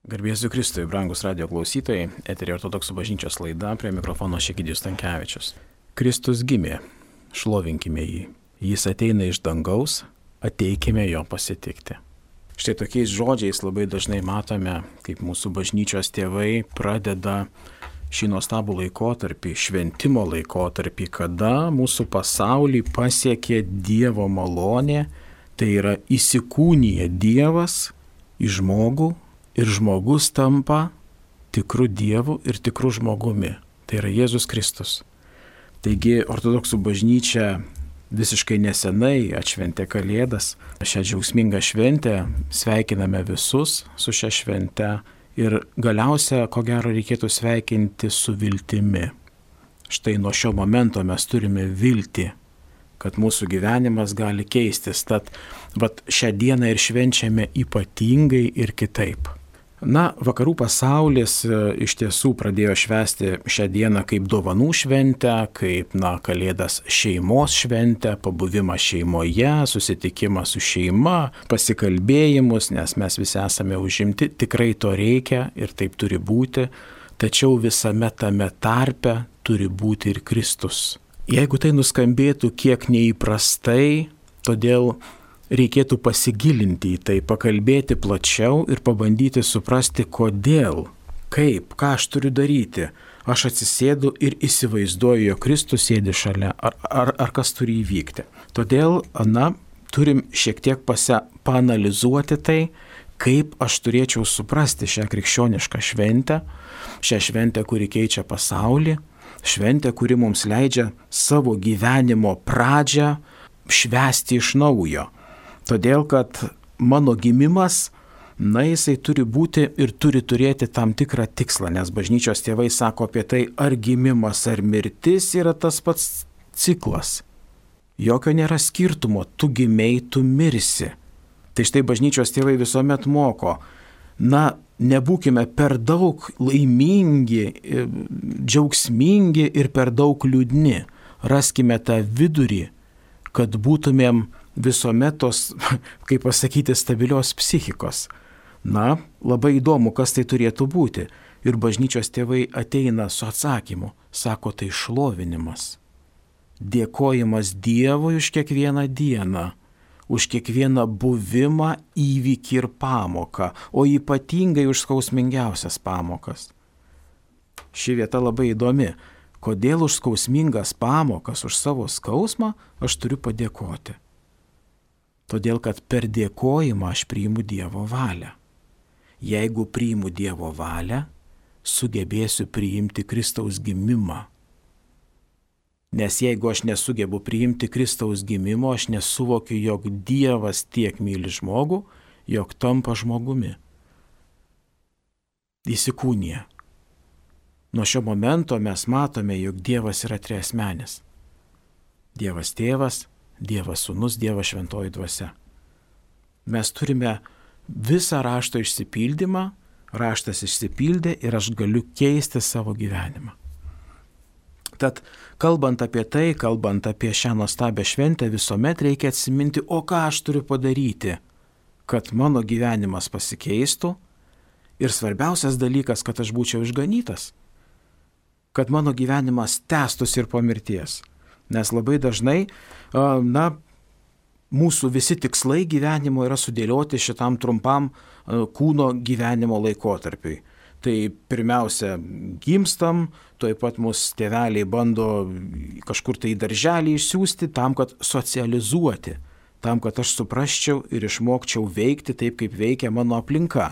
Garbėsiu Kristui, brangus radio klausytojai, eteryje Ortodoksų bažnyčios laida, prie mikrofono Egidijus Stankevičius. Kristus gimė, šlovinkime jį. Jis ateina iš dangaus, ateikime jo pasitikti. Štai tokiais žodžiais labai dažnai matome, kaip mūsų bažnyčios tėvai pradeda šį nuostabų laikotarpį, šventimo laikotarpį, kada mūsų pasaulį pasiekė Dievo malonė, tai yra įsikūnija Dievas į žmogų ir žmogus tampa tikru Dievu ir tikru žmogumi. Tai yra Jėzus Kristus. Taigi Ortodoksų bažnyčia visiškai nesenai atšventė Kalėdas. Šią džiaugsmingą šventę sveikiname visus su šia švente ir galiausia, ko gero, reikėtų sveikinti su viltimi. Štai nuo šio momento mes turime viltį, kad mūsų gyvenimas gali keistis. Tad šią dieną ir švenčiame ypatingai ir kitaip. Vakarų pasaulis iš tiesų pradėjo švęsti šią dieną kaip dovanų šventę, kaip Kalėdas šeimos šventę, pabuvimą šeimoje, susitikimą su šeima, pasikalbėjimus, nes mes visi esame užimti, tikrai to reikia ir taip turi būti, tačiau visame tame tarpe turi būti ir Kristus. Jeigu tai nuskambėtų kiek neįprastai, todėl reikėtų pasigilinti į tai, pakalbėti plačiau ir pabandyti suprasti, kodėl, kaip, ką aš turiu daryti. Aš atsisėdu ir įsivaizduoju, jog Kristus sėdi šalia, ar kas turi įvykti. Todėl, turim šiek tiek paanalizuoti tai, kaip aš turėčiau suprasti šią krikščionišką šventę, šią šventę, kuri keičia pasaulį, šventę, kuri mums leidžia savo gyvenimo pradžią švęsti iš naujo. Todėl, kad mano gimimas, jisai turi būti ir turi turėti tam tikrą tikslą, nes bažnyčios tėvai sako apie tai, ar gimimas, ar mirtis yra tas pats ciklas. Jokio nėra skirtumo, tu gimei, tu mirsi. Tai štai bažnyčios tėvai visuomet moko, nebūkime per daug laimingi, džiaugsmingi ir per daug liūdni. Raskime tą vidurį, kad būtumėm visuomet tos, kaip pasakyti, stabilios psichikos. Labai įdomu, kas tai turėtų būti. Ir bažnyčios tėvai ateina su atsakymu. Sako, tai šlovinimas. Dėkojimas Dievui už kiekvieną dieną, už kiekvieną buvimą, įvykį ir pamoką, o ypatingai už skausmingiausias pamokas. Ši vieta labai įdomi. Kodėl už skausmingas pamokas, už savo skausmą aš turiu padėkoti? Todėl, kad per dėkojimą aš priimu Dievo valią. Jeigu priimu Dievo valią, sugebėsiu priimti Kristaus gimimą. Nes jeigu aš nesugebu priimti Kristaus gimimo, aš nesuvokiu, jog Dievas tiek myli žmogų, jog tampa žmogumi. Įsikūnija. Nuo šio momento mes matome, jog Dievas yra triasmenis. Dievas Tėvas, Dievas Sūnus, Dievas Šventoji Dvasia. Mes turime visą rašto išsipildymą, raštas išsipildė ir aš galiu keisti savo gyvenimą. Tad kalbant apie tai, kalbant apie šią nuostabią šventę, visuomet reikia atsiminti, o ką aš turiu padaryti, kad mano gyvenimas pasikeistų ir svarbiausias dalykas, kad aš būčiau išganytas, kad mano gyvenimas tęstųsi ir po mirties. Nes labai dažnai, mūsų visi tikslai gyvenimo yra sudėlioti šitam trumpam kūno gyvenimo laikotarpiui. Tai pirmiausia, gimstam, tuoj pat mūsų tėveliai bando kažkur tai į darželį išsiųsti tam, kad socializuoti, tam, kad aš suprasčiau ir išmokčiau veikti taip, kaip veikia mano aplinka.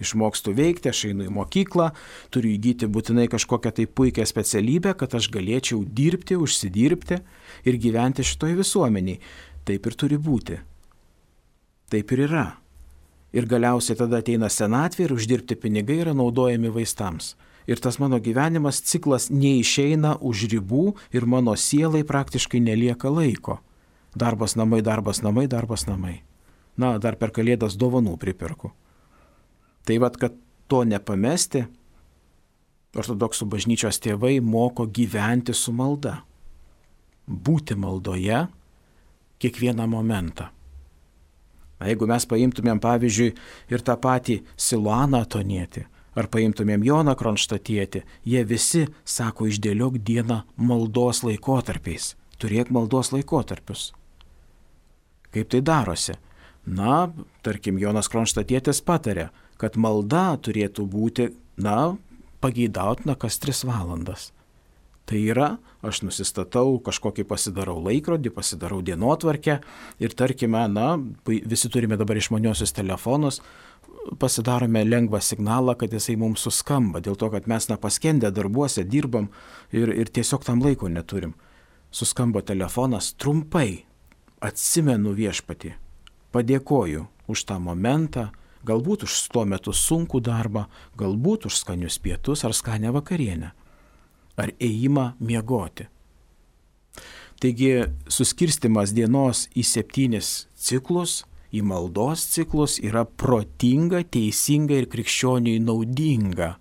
Išmokstu veikti, aš einu į mokyklą, turiu įgyti būtinai kažkokią tai puikią specialybę, kad aš galėčiau dirbti, užsidirbti ir gyventi šitoj visuomeniai. Taip ir turi būti. Taip ir yra. Ir galiausiai tada ateina senatvė ir uždirbti pinigai yra naudojami vaistams. Ir tas mano gyvenimas ciklas neišeina už ribų ir mano sielai praktiškai nelieka laiko. Darbas namai, darbas namai, darbas namai. Dar per Kalėdas dovanų pripirku. Tai kad to nepamesti, Ortodoksų bažnyčios tėvai moko gyventi su malda. Būti maldoje kiekvieną momentą. Jeigu mes paimtumėm, pavyzdžiui, ir tą patį Siluaną Atonietį, ar paimtumėm Joną Kronštatietį, jie visi sako, išdėliok dieną maldos laikotarpiais. Turėk maldos laikotarpius. Kaip tai darosi? Na, tarkim, Jonas Kronštatietis patarė, kad malda turėtų būti, pageidautina kas 3 valandas. Tai yra, aš nusistatau, kažkokį pasidarau laikrodį, pasidarau dienotvarkę ir tarkime, visi turime dabar išmaniosius telefonus, pasidarome lengvą signalą, kad jisai mums suskamba, dėl to, kad mes paskendę darbuose dirbam ir tiesiog tam laiko neturim. Suskambo telefonas, trumpai atsimenu Viešpatį, padėkoju už tą momentą, galbūt už tuo metu sunkų darbą, galbūt už skanius pietus ar skanę vakarienę, ar ėjimą miegoti. Taigi suskirstimas dienos į 7 ciklus, į maldos ciklus yra protinga, teisinga ir krikščioniui naudinga,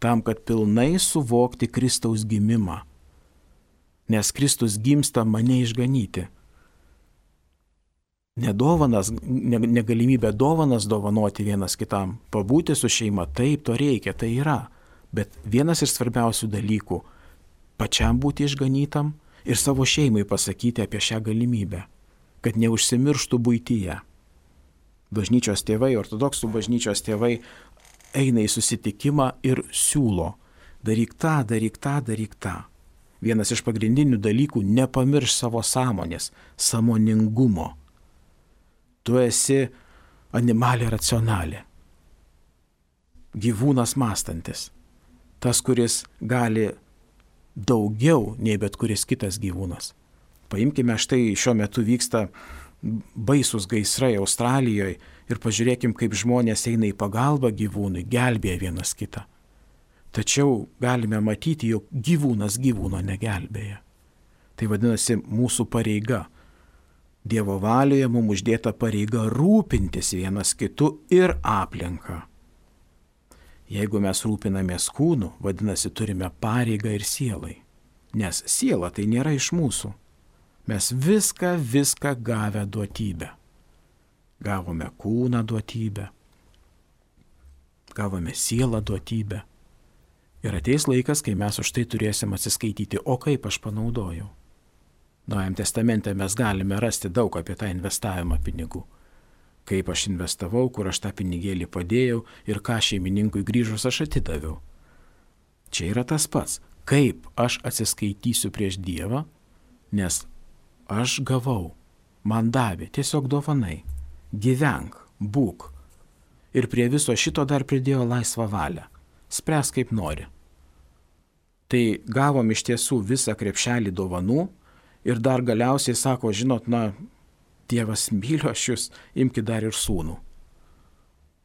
tam, kad pilnai suvokti Kristaus gimimą. Nes Kristus gimsta mane išganyti. Negalimybė dovanas dovanoti vienas kitam, pabūti su šeima, taip, to reikia, tai yra. Bet vienas iš svarbiausių dalykų – pačiam būti išganytam ir savo šeimai pasakyti apie šią galimybę, kad neužsimirštų buityje. Bažnyčios tėvai, ortodoksų bažnyčios tėvai eina į susitikimą ir siūlo – daryk tą, daryk tą, daryk tą. Vienas iš pagrindinių dalykų – nepamirš savo sąmonės, sąmoningumo. Tu esi animalė racionalė, gyvūnas mąstantis. Tas, kuris gali daugiau nei bet kuris kitas gyvūnas. Paimkime, štai šiuo metu vyksta baisus gaisrai Australijoje ir pažiūrėkim, kaip žmonės eina į pagalbą gyvūnui, gelbėja vienas kitą. Tačiau galime matyti, jog gyvūnas gyvūno negelbėja. Tai vadinasi mūsų pareiga. Dievo valioje mums uždėta pareiga rūpintis vienas kitu ir aplinką. Jeigu mes rūpinamės kūnu, vadinasi, turime pareigą ir sielai. Nes siela tai nėra iš mūsų. Mes viską gavę duotybę. Gavome kūną duotybę. Gavome sielą duotybę. Ir ateis laikas, kai mes už tai turėsim atsiskaityti, o kaip aš panaudojau. Naujam testamente mes galime rasti daug apie tą investavimą pinigų. Kaip aš investavau, kur aš tą pinigėlį padėjau ir ką šeimininkui grįžus aš atidaviau. Čia yra tas pats, kaip aš atsiskaitysiu prieš Dievą, nes aš gavau, man davė, tiesiog dovanai, gyvenk, būk. Ir prie viso šito dar pridėjo laisvą valią, spręsk kaip nori. Tai gavom iš tiesų visą krepšelį dovanų ir dar galiausiai sako, žinot, Dievas myli aš jūs, imkite dar ir sūnų.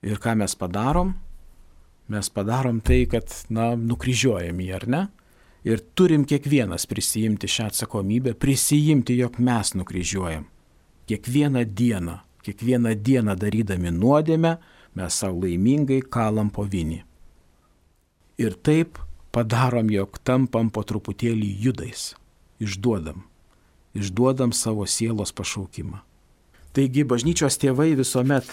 Ir ką mes padarom? Mes padarom tai, kad, nukryžiuojam jį, ar ne? Ir turim kiekvienas prisijimti šią atsakomybę, prisijimti, jog mes nukryžiuojam. Kiekvieną dieną darydami nuodėmę, mes savo laimingai kalam po vinį. Ir taip padarom, jog tampam po truputėlį judais. Išduodam savo sielos pašaukimą. Taigi bažnyčios tėvai visuomet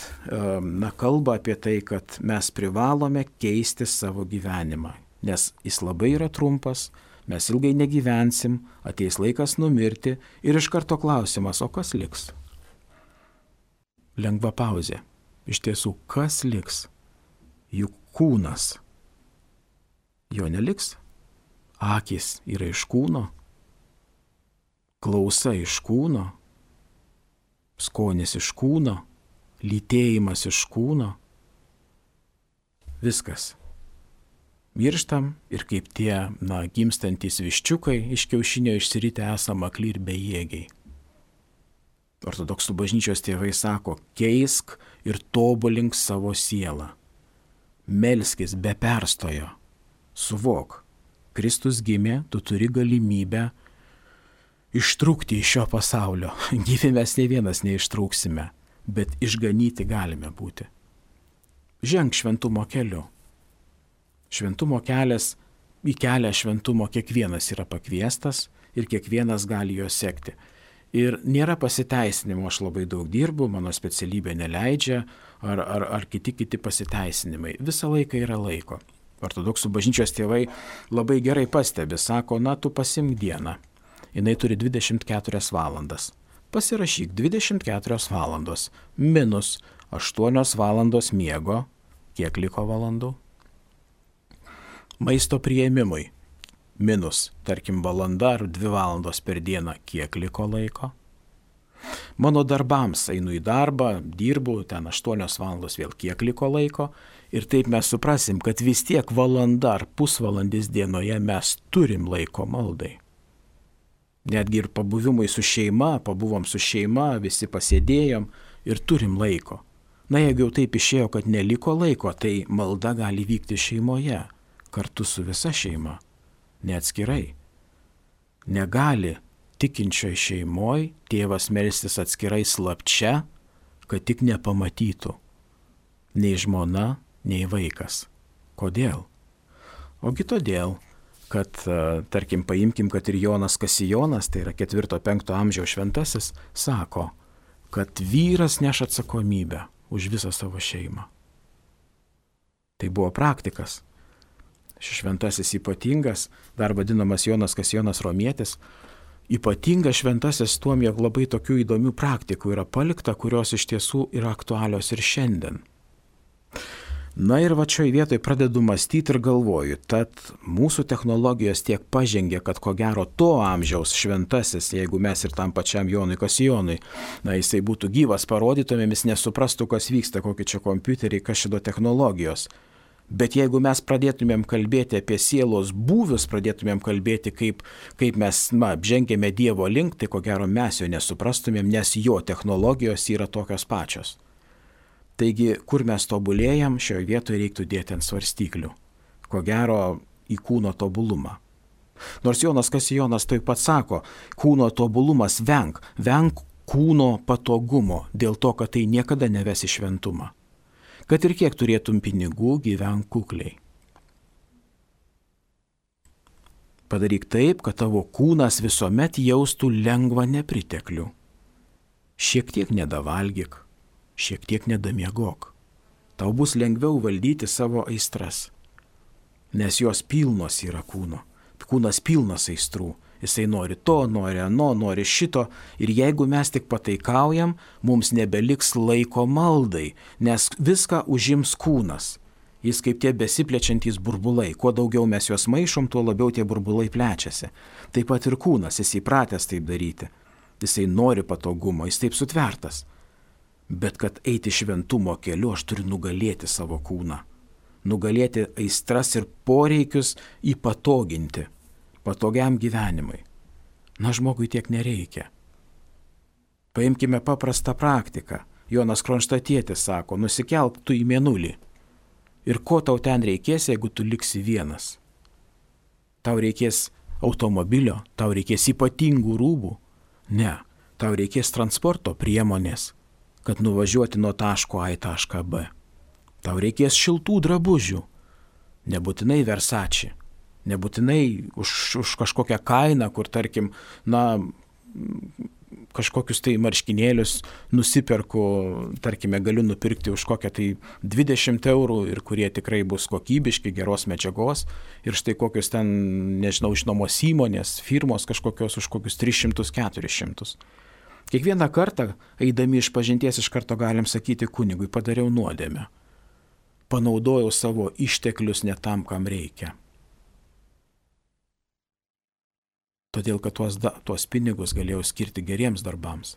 kalba apie tai, kad mes privalome keisti savo gyvenimą, nes jis labai yra trumpas, mes ilgai negyvensim, ateis laikas numirti ir iš karto klausimas, o kas liks? Lengva pauzė. Iš tiesų, kas liks? Juk kūnas. Jo neliks. Akys yra iš kūno, klausa iš kūno, skonis iš kūno, lytėjimas iš kūno. Viskas. Mirštam ir kaip tie, gimstantys viščiukai iš kiaušinio išsiritę esam akli ir bejėgiai. Ortodoksų bažnyčios tėvai sako, keisk ir tobulink savo sielą. Melskis be perstojo. Suvok, Kristus gimė, tu turi galimybę ištrūkti iš šio pasaulio. Gyvi mes nei vienas neištrūksime, bet išganyti galime būti. Ženk šventumo keliu. Šventumo kelias, į kelią šventumo kiekvienas yra pakviestas ir kiekvienas gali jo sekti. Ir nėra pasiteisinimo, aš labai daug dirbu, mano specialybė neleidžia, ar kiti pasiteisinimai. Visą laiką yra laiko. Ortodoksų bažnyčios tėvai labai gerai pastebi, sako, na, tu pasimk dieną. Jinai turi 24 valandas. Pasirašyk 24 valandos minus 8 valandos miego. Kiek liko valandų? Maisto priėmimui. Minus, tarkim, valanda ar 2 valandos per dieną, kiek liko laiko. Mano darbams einu į darbą, dirbu, ten 8 valandos vėl kiek liko laiko. Ir taip mes suprasim, kad vis tiek valanda ar pusvalandis dienoje mes turim laiko maldai. Netgi ir pabuvimui su šeima, pabuvom su šeima, visi pasėdėjom ir turim laiko. Na, jeigu jau taip išėjo, kad neliko laiko, tai malda gali vykti šeimoje, kartu su visa šeima. Neatskirai. Negali tikinčioj šeimoj tėvas melstis atskirai slapčia, kad tik nepamatytų nei žmona, nei vaikas. Kodėl? Ogi todėl, kad, tarkim, paimkim, kad ir Jonas Kasijonas, tai yra 4-5 amžiaus šventasis, sako, kad vyras neš atsakomybę už visą savo šeimą. Tai buvo praktikas. Šis šventasis ypatingas, dar vadinamas Jonas Kasijonas Romietis, ypatingas šventasis tuom, jog labai tokių įdomių praktikų yra palikta, kurios iš tiesų yra aktualios ir šiandien. Na ir va šioj vietoj pradedu mąstyti ir galvoju, tad mūsų technologijos tiek pažengė, kad ko gero to amžiaus šventasis, jeigu mes ir tam pačiam Jonui Kasijonui, na jisai būtų gyvas, parodytumėm, jis nesuprastų, kas vyksta, kokie čia kompiuteriai, kas šito technologijos. Bet jeigu mes pradėtumėm kalbėti apie sielos būvius, pradėtumėm kalbėti, kaip mes žengėme Dievo link, tai ko gero mes jo nesuprastumėm, nes jo technologijos yra tokios pačios. Taigi, kur mes tobulėjam, šioje vietoje reiktų dėti ant svarstyklių. Ko gero į kūno tobulumą. Nors Jonas Kasijonas taip pat sako, kūno tobulumas venk kūno patogumo, dėl to, kad tai niekada neves į šventumą. Kad ir kiek turėtum pinigų, gyvenk kukliai. Padaryk taip, kad tavo kūnas visuomet jaustų lengvą nepriteklių. Šiek tiek nedavalgyk, šiek tiek nedamiegok. Tau bus lengviau valdyti savo aistras, nes jos pilnos yra kūno. Kūnas pilnas aistrų. Jisai nori to, nori ano, nori šito. Ir jeigu mes tik pataikaujam, mums nebeliks laiko maldai, nes viską užims kūnas. Jis kaip tie besiplečiantys burbulai. Kuo daugiau mes juos maišom, tuo labiau tie burbulai plečiasi. Taip pat ir kūnas, jis įpratęs taip daryti. Jisai nori patogumo, jis taip sutvertas. Bet kad eiti šventumo keliu, aš turiu nugalėti savo kūną. Nugalėti aistras ir poreikius įpatoginti. Patogiam gyvenimui. Na, žmogui tiek nereikia. Paimkime paprastą praktiką. Jonas Kronštatietis sako, nusikelk tu į mėnulį. Ir ko tau ten reikės, jeigu tu liksi vienas? Tau reikės automobilio, tau reikės ypatingų rūbų? Ne, tau reikės transporto priemonės, kad nuvažiuoti nuo taško A į tašką B. Tau reikės šiltų drabužių, nebūtinai Versace. Nebūtinai už kažkokią kainą, kur, tarkim, kažkokius tai marškinėlius nusiperku, tarkime, galiu nupirkti už kokią tai 20 eurų ir kurie tikrai bus kokybiški, geros medžiagos. Ir štai kokius ten, nežinau, žinomos įmonės, firmos kažkokios už kokius 300-400. Kiekvieną kartą, eidami iš pažinties, iš karto galim sakyti kunigui, padariau nuodėmę. Panaudojau savo išteklius ne tam, kam reikia. Todėl, kad tuos pinigus galėjau skirti geriems darbams.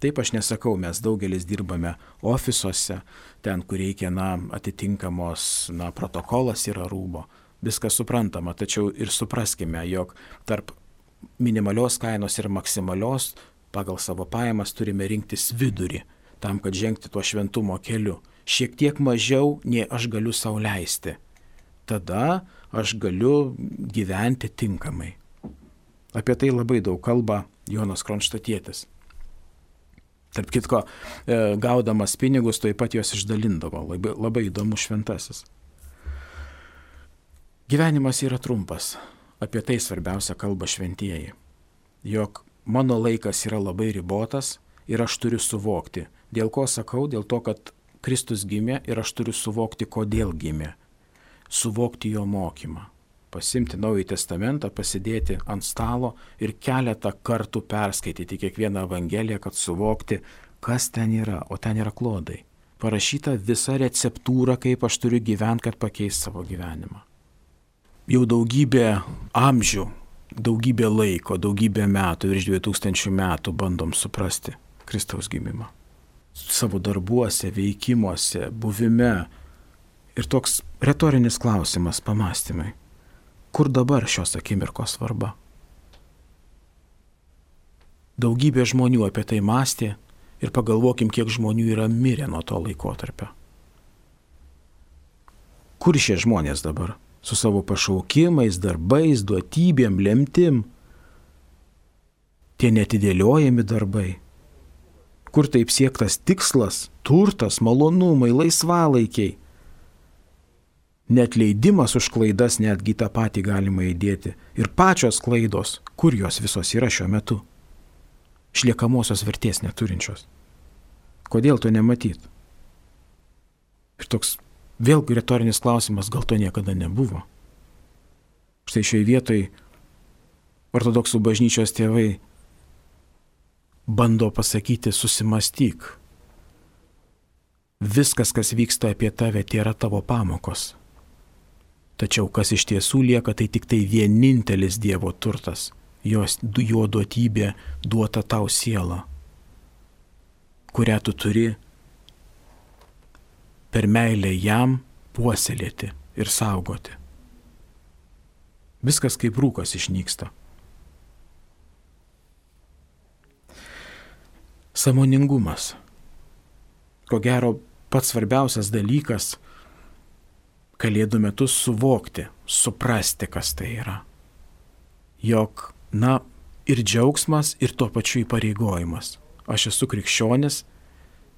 Taip aš nesakau, mes daugelis dirbame ofisuose, ten, kur reikia, atitinkamos, protokolas yra rūbo. Viskas suprantama, tačiau ir supraskime, jog tarp minimalios kainos ir maksimalios pagal savo pajamas turime rinktis vidurį, tam, kad žengti tuo šventumo keliu. Šiek tiek mažiau, nei aš galiu sau leisti. Tada aš galiu gyventi tinkamai. Apie tai labai daug kalba Jonas Kronštatietis. Tarp kitko, gaudamas pinigus, taip pat juos išdalindavo. Labai įdomus šventasis. Gyvenimas yra trumpas. Apie tai svarbiausia kalba šventieji. Jog mano laikas yra labai ribotas ir aš turiu suvokti. Dėl ko sakau? Dėl to, kad Kristus gimė ir aš turiu suvokti, kodėl gimė. Suvokti jo mokymą. Pasimti Naująjį Testamentą, pasidėti ant stalo ir keletą kartų perskaityti kiekvieną Evangeliją, kad suvokti, kas ten yra, o ten yra klodai. Parašyta visa receptūra, kaip aš turiu gyventi, kad pakeist savo gyvenimą. Jau daugybę amžių, daugybę laiko, daugybę metų, virš 2000 metų bandom suprasti Kristaus gimimą. Savo darbuose, veikimuose, buvime. Ir toks retorinis klausimas, pamastymai. Kur dabar šios akimirkos svarba? Daugybė žmonių apie tai mąstė ir pagalvokim, kiek žmonių yra mirę nuo to laikotarpio. Kur šie žmonės dabar? Su savo pašaukimais, darbais, duotybėm, lemtim. Tie netidėliojami darbai. Kur taip siektas tikslas, turtas, malonumai, laisvalaikiai. Neatleidimas už klaidas netgi tą patį galima įdėti. Ir pačios klaidos, kur jos visos yra šiuo metu? Išliekamosios vertės neturinčios. Kodėl to nematyt? Ir toks vėlgi retorinis klausimas, gal to niekada nebuvo. Štai šioje vietoje ortodoksų bažnyčios tėvai bando pasakyti, susimastyk. Viskas, kas vyksta apie tave, tai yra tavo pamokos. Tačiau kas iš tiesų lieka, tai tik tai vienintelis Dievo turtas, jo duotybė duota tau siela, kurią tu turi per meilę jam puoselėti ir saugoti. Viskas kaip rūkas išnyksta. Sąmoningumas. Ko gero, pats svarbiausias dalykas Kalėdų metu suvokti, suprasti, kas tai yra. Jog, ir džiaugsmas, ir tuo pačiu įpareigojimas. Aš esu krikščionis,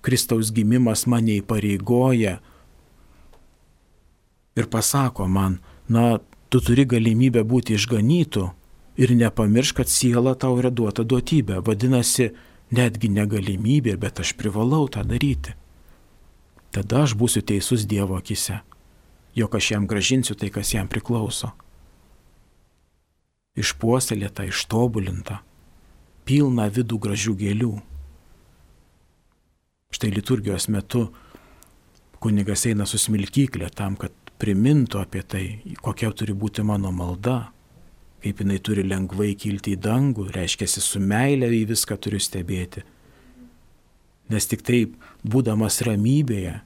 Kristaus gimimas mane įpareigoja ir pasako man, tu turi galimybę būti išganytu ir nepamiršk, kad siela tau yra duota duotybė. Vadinasi, netgi negalimybė, bet aš privalau tą daryti. Tada aš būsiu teisus Dievo akise. Jog aš jam gražinsiu tai, kas jam priklauso. Išpuoselėta, ištobulinta, pilna vidų gražių gėlių. Štai liturgijos metu kunigas eina su smilkyklė tam, kad primintų apie tai, kokia turi būti mano malda, kaip jinai turi lengvai kilti į dangų, reiškiasi su meile į viską turiu stebėti. Nes tik taip, būdamas ramybėje,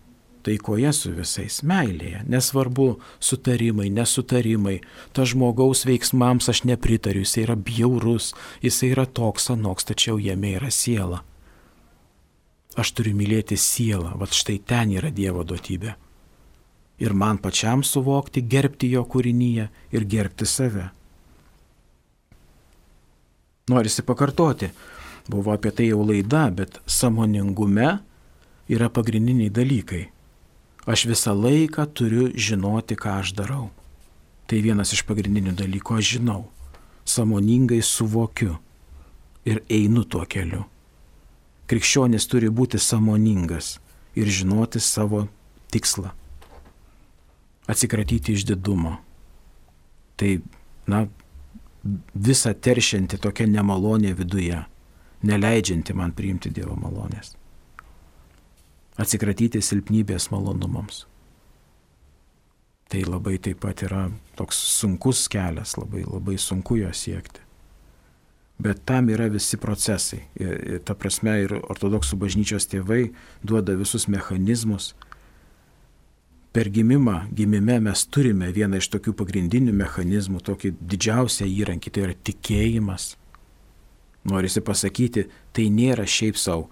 taikoje su visais, meilėje, nesvarbu sutarimai, nesutarimai, ta žmogaus veiksmams aš nepritariu, jisai yra bjaurus, jisai yra toks anoks, tačiau jame yra siela. Aš turiu mylėti sielą, štai ten yra Dievo duotybė. Ir man pačiam suvokti, gerbti jo kūrinyje ir gerbti save. Norisi pakartoti, buvo apie tai jau laida, bet sąmoningume yra pagrindiniai dalykai. Aš visą laiką turiu žinoti, ką aš darau. Tai vienas iš pagrindinių dalykų, aš žinau, sąmoningai suvokiu ir einu tuo keliu. Krikščionis turi būti sąmoningas ir žinoti savo tikslą. Atsikratyti išdidumo. Tai, visa teršianti tokia nemalonė viduje, neleidžianti man priimti Dievo malonės. Atsikratyti silpnybės malonumams. Tai labai taip pat yra toks sunkus kelias, labai sunku jo siekti. Bet tam yra visi procesai. Ta prasme ir ortodoksų bažnyčios tėvai duoda visus mechanizmus. Per gimime mes turime vieną iš tokių pagrindinių mechanizmų, tokį didžiausią įrankį, tai yra tikėjimas. Norisi pasakyti, tai nėra šiaip savo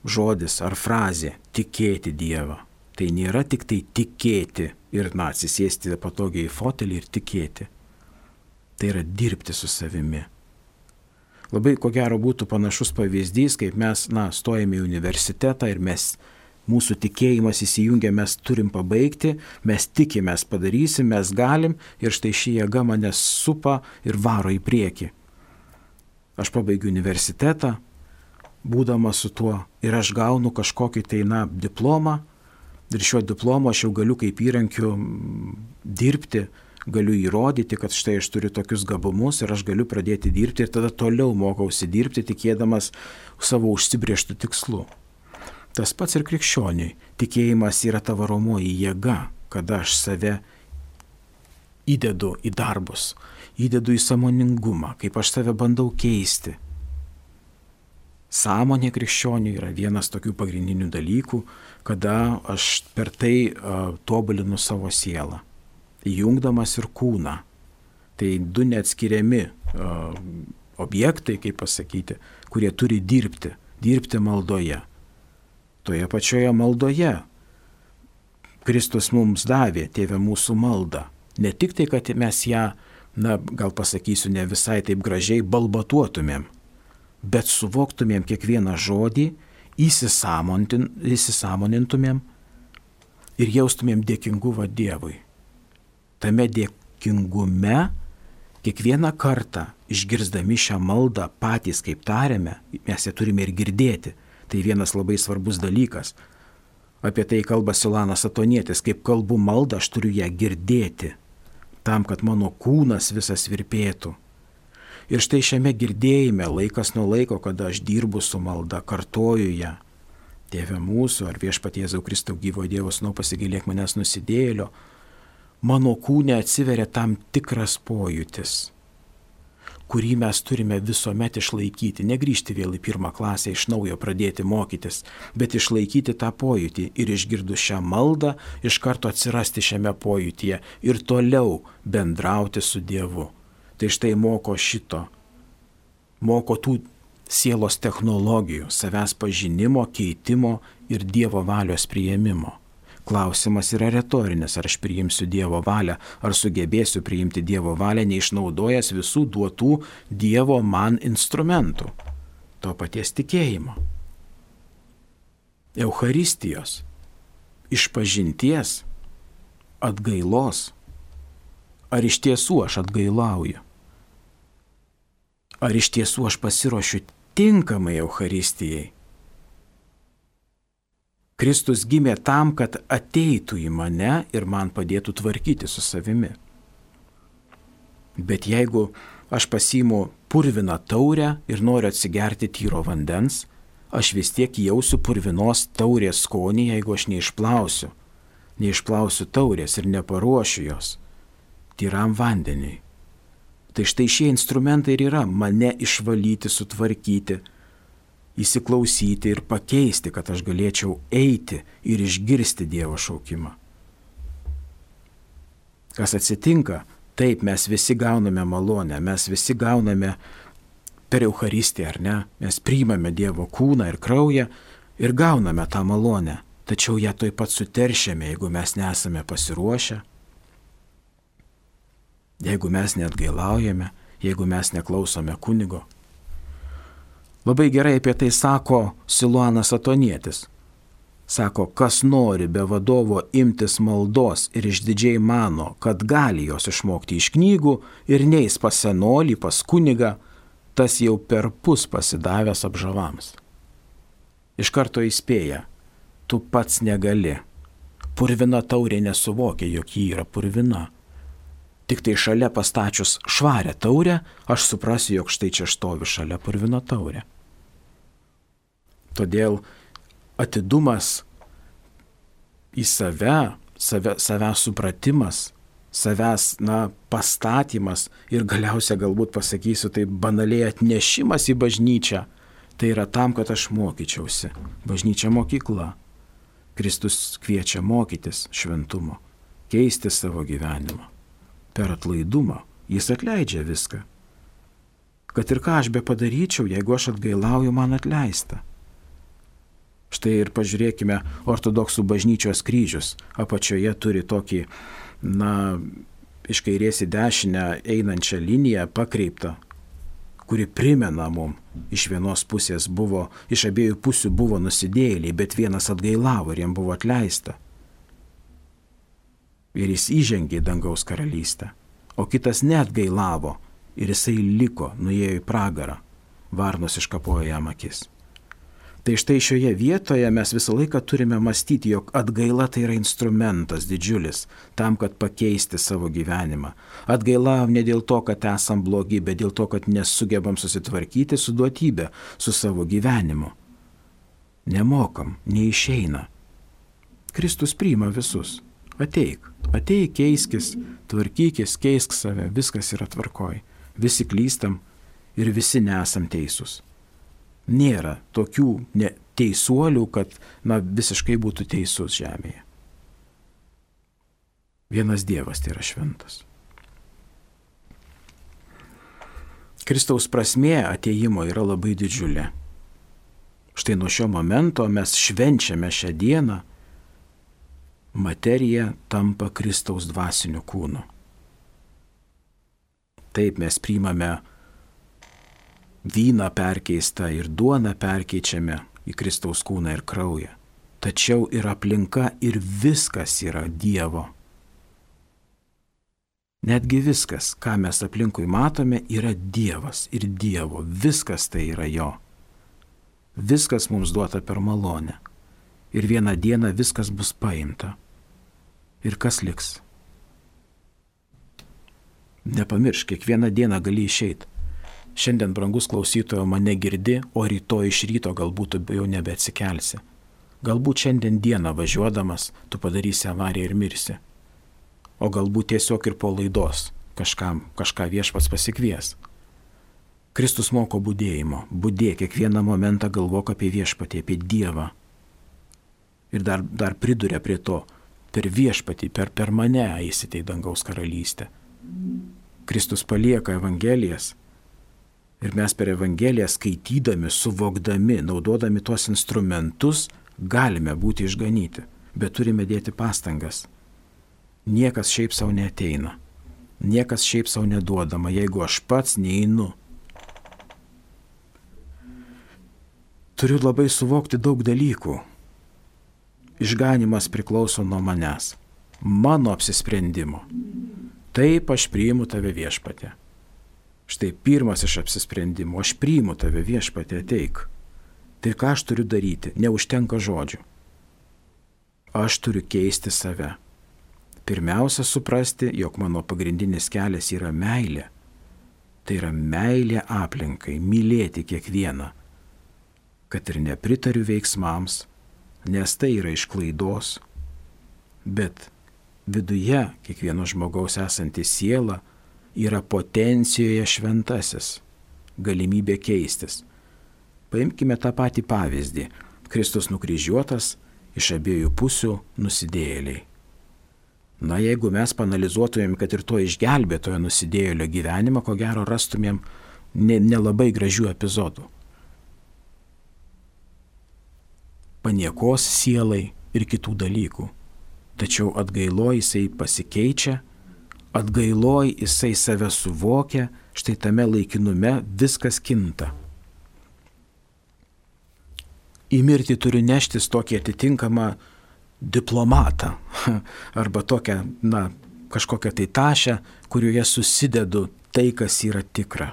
žodis ar frazė tikėti Dievą. Tai nėra tik tai tikėti ir atsisėsti patogiai į fotelį ir tikėti. Tai yra dirbti su savimi. Labai ko gero būtų panašus pavyzdys, kaip mes stojame į universitetą ir mūsų tikėjimas įsijungia, mes turim pabaigti, mes tikimės padarysim, mes galim ir štai ši jėga mane supa ir varo į priekį. Aš pabaigiu universitetą, būdamas su tuo, ir aš gaunu kažkokį diplomą, ir šiuo diplomu aš jau galiu kaip įrankiu dirbti, galiu įrodyti, kad štai aš turiu tokius gabumus ir aš galiu pradėti dirbti ir tada toliau mokausi dirbti, tikėdamas savo užsibrėžtų tikslų. Tas pats ir krikščioniui. Tikėjimas yra ta varomoji jėga, kada aš save įdedu į darbus, įdedu į sąmoningumą, kaip aš save bandau keisti. Sąmonė krikščioniui yra vienas tokių pagrindinių dalykų, kada aš per tai tobulinu savo sielą, įjungdamas ir kūną. Tai du neatskiriami objektai, kaip pasakyti, kurie turi dirbti maldoje. Toje pačioje maldoje Kristus mums davė, Tėve mūsų maldą. Ne tik tai, kad mes ją, gal pasakysiu, ne visai taip gražiai balbatuotumėm, bet suvoktumėm kiekvieną žodį, įsisąmonintumėm ir jaustumėm dėkingumą Dievui. Tame dėkingume kiekvieną kartą išgirsdami šią maldą patys kaip tariame, mes ją turime ir girdėti. Tai vienas labai svarbus dalykas. Apie tai kalba Siluanas Atonietis, kaip kalbu maldą, aš turiu ją girdėti, tam, kad mano kūnas visas virpėtų. Ir štai šiame girdėjime, laikas nuo laiko, kada aš dirbu su malda, kartoju ją. Tėve mūsų, ar Viešpatie Jėzau Kristau, gyvojo Dievo sūnau, pasigailėk manęs nusidėjėlio, mano kūne atsiveria tam tikras pojūtis, kurį mes turime visuomet išlaikyti, negrįžti vėl į pirmą klasę, iš naujo pradėti mokytis, bet išlaikyti tą pojūtį ir išgirdus šią maldą, iš karto atsirasti šiame pojūtyje ir toliau bendrauti su Dievu. Tai štai moko tų sielos technologijų, savęs pažinimo, keitimo ir Dievo valios priėmimo. Klausimas yra retorinis, ar aš priimsiu Dievo valią, ar sugebėsiu priimti Dievo valią, neišnaudojęs visų duotų Dievo man instrumentų. To paties tikėjimo. Eucharistijos, išpažinties, atgailos. Ar iš tiesų aš atgailauju? Ar iš tiesų aš pasiruošiu tinkamai Eucharistijai? Kristus gimė tam, kad ateitų į mane ir man padėtų tvarkyti su savimi. Bet jeigu aš pasiimu purviną taurę ir noriu atsigerti tyro vandens, aš vis tiek jausiu purvinos taurės skonį, jeigu aš neišplausiu taurės ir neparuošiu jos tyram vandeniui. Tai štai šie instrumentai ir yra mane išvalyti, sutvarkyti, įsiklausyti ir pakeisti, kad aš galėčiau eiti ir išgirsti Dievo šaukimą. Kas atsitinka? Taip, mes visi gauname malonę, mes visi gauname per Eucharistiją, ar ne? Mes priimame Dievo kūną ir kraują ir gauname tą malonę, tačiau ją tuoj pat suteršiame, jeigu mes nesame pasiruošę, jeigu mes neatgailaujame, jeigu mes neklausome kunigo. Labai gerai apie tai sako Siluanas Atonietis. Sako, kas nori be vadovo imtis maldos ir išdidžiai mano, kad gali jos išmokti iš knygų ir neis pas senolį, pas kunigą, tas jau perpus pasidavęs apžavams. Iš karto įspėja, tu pats negali. Purvina taurė nesuvokia, jog ji yra purvina. Tik tai šalia pastačius švarę taurę, aš suprasiu, jog štai čia stovi šalia purvina taurė. Todėl atidumas į savęs supratimas, savęs pastatymas ir galiausia galbūt pasakysiu tai banaliai atnešimas į bažnyčią, tai yra tam, kad aš mokyčiausi. Bažnyčia mokykla. Kristus kviečia mokytis šventumo, keisti savo gyvenimą. Per atlaidumą jis atleidžia viską. Kad ir ką aš be padaryčiau, jeigu aš atgailauju, man atleista. Štai ir pažiūrėkime ortodoksų bažnyčios kryžius. Apačioje turi tokį, iš kairės į dešinę einančią liniją pakreiptą, kuri primena mum, iš vienos pusės buvo, iš abiejų pusių buvo nusidėjėliai, bet vienas atgailavo ir jam buvo atleista. Ir jis įžengė į dangaus karalystę, o kitas neatgailavo ir jisai liko, nuėjo į pragarą. varnos iškapojo jam akis. Tai štai šioje vietoje mes visą laiką turime mąstyti, jog atgaila tai yra instrumentas didžiulis tam, kad pakeisti savo gyvenimą. Atgaila ne dėl to, kad esam blogi, bet dėl to, kad nesugebam susitvarkyti su duotybė, su savo gyvenimu. Nemokam, neišeina. Kristus priima visus. Ateik, keiskis, tvarkykis, keisk save, viskas yra tvarkoj. Visi klystam ir visi nesam teisūs. Nėra tokių teisuolių, kad visiškai būtų teisus žemėje. Vienas Dievas tai yra šventas. Kristaus prasmė atėjimo yra labai didžiulė. Štai nuo šio momento mes švenčiame šią dieną, materija tampa Kristaus dvasiniu kūnu. Taip mes priimame vyną perkeistą ir duoną perkeičiame į Kristaus kūną ir kraują. Tačiau ir aplinka, ir viskas yra Dievo. Netgi viskas, ką mes aplinkui matome, yra Dievas ir Dievo. Viskas tai yra Jo. Viskas mums duota per malonę. Ir vieną dieną viskas bus paimta. Ir kas liks? Nepamiršk, kiekvieną dieną gali išeiti. Šiandien, brangus klausytojo, mane girdi, o rytoj iš ryto galbūt tu jau nebeatsikelsi. Galbūt šiandien dieną važiuodamas tu padarysi avariją ir mirsi. O galbūt tiesiog ir po laidos kažką Viešpats pasikvies. Kristus moko budėjimo. Budėk kiekvieną momentą, galvok apie Viešpatį, apie Dievą. Ir dar priduria prie to, per Viešpatį, per mane eisite į dangaus karalystę. Kristus palieka Evangelijas. Ir mes per Evangeliją skaitydami, suvokdami, naudodami tuos instrumentus, galime būti išganyti, bet turime dėti pastangas. Niekas šiaip savo neateina, niekas šiaip savo neduodama, jeigu aš pats neinu. Turiu labai suvokti daug dalykų. Išganimas priklauso nuo manęs, mano apsisprendimo. Taip aš priimu tave Viešpatie. Štai pirmas iš apsisprendimų, aš priimu tave Viešpatie, ateik. Tai ką aš turiu daryti? Neužtenka žodžių. Aš turiu keisti save. Pirmiausia, suprasti, jog mano pagrindinis kelias yra meilė. Tai yra meilė aplinkai, mylėti kiekvieną. Kad ir nepritariu veiksmams, nes tai yra iš klaidos. Bet viduje kiekvieno žmogaus esanti siela yra potencijoje šventasis, galimybė keistis. Paimkime tą patį pavyzdį. Kristus nukryžiuotas, iš abiejų pusių nusidėjėliai. Na, jeigu mes panalizuotumėm, kad ir to išgelbėtojo nusidėjėlio gyvenimą, ko gero rastumėm nelabai gražių epizodų. Paniekos sielai ir kitų dalykų. Tačiau atgailoj jisai pasikeičia, atgailoj jisai save suvokia, štai tame laikinume viskas kinta. Į mirtį turiu neštis tokį atitinkamą diplomatą arba tokią, kažkokią tai tašę, kurioje susidedu tai, kas yra tikra.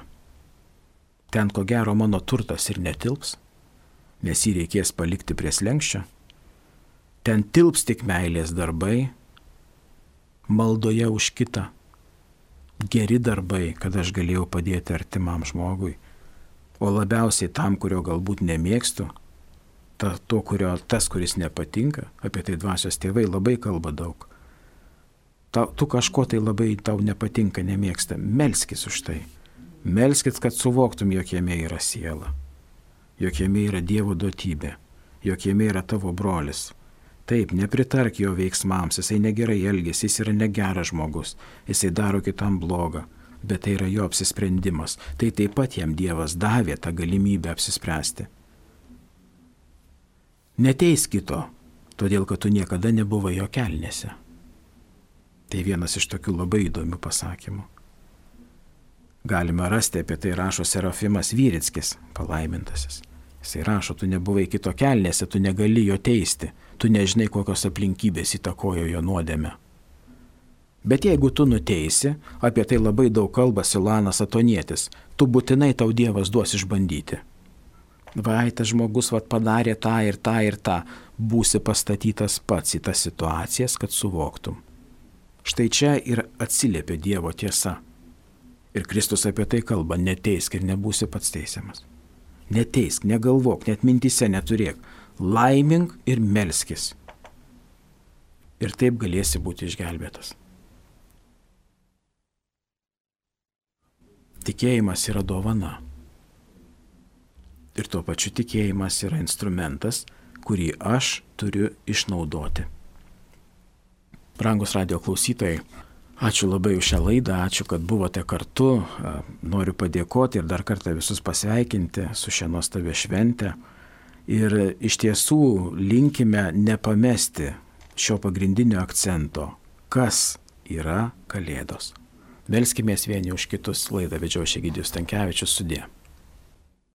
Ten ko gero mano turtas ir netilps, nes jį reikės palikti prie slenksčio. Ten tilps tik meilės darbai, maldoje už kitą, geri darbai, kad aš galėjau padėti artimam žmogui, o labiausiai tam, kurio galbūt nemėgstu, tas, kuris nepatinka, apie tai dvasios tėvai labai kalba daug. Tu kažko tai labai tau nepatinka, nemėgsta, melskis už tai. Melskis, kad suvoktum, jog jame yra siela, jog jame yra Dievo duotybė, jog jame yra tavo brolis. Taip, nepritark jo veiksmams, jisai negerai elgiasi, jis yra negeras žmogus, jisai daro kitam blogą, bet tai yra jo apsisprendimas. Tai taip pat jam Dievas davė tą galimybę apsispręsti. Neteis kito, todėl kad tu niekada nebuvai jo kelnėse. Tai vienas iš tokių labai įdomių pasakymų. Galime rasti, apie tai rašo Serafimas Vyrickis, palaimintasis. Jisai rašo, tu nebuvai kito kelnėse, tu negali jo teisti, tu nežinai, kokios aplinkybės įtakojo jo nuodėmę. Bet jeigu tu nuteisi, apie tai labai daug kalba Silanas Atonietis, tu būtinai tau Dievas duos išbandyti. Vai, tas žmogus padarė tą ir tą ir tą, būsi pastatytas pats į tas situacijas, kad suvoktum. Štai čia ir atsiliepia Dievo tiesa. Ir Kristus apie tai kalba, neteisk ir nebūsi pats teisiamas. Neteisk, negalvok, net mintyse neturėk, laimink ir melskis. Ir taip galėsi būti išgelbėtas. Tikėjimas yra dovana. Ir tuo pačiu tikėjimas yra instrumentas, kurį aš turiu išnaudoti. Brangus radijo klausytojai, ačiū labai už šią laidą, ačiū, kad buvote kartu. Noriu padėkoti ir dar kartą visus pasveikinti su šia nuostabia švente. Ir iš tiesų linkime nepamesti šio pagrindinio akcento, kas yra Kalėdos. Melskimės vieni už kitus. Laidą vedžiau aš, Egidijus Stankevičius, sudie.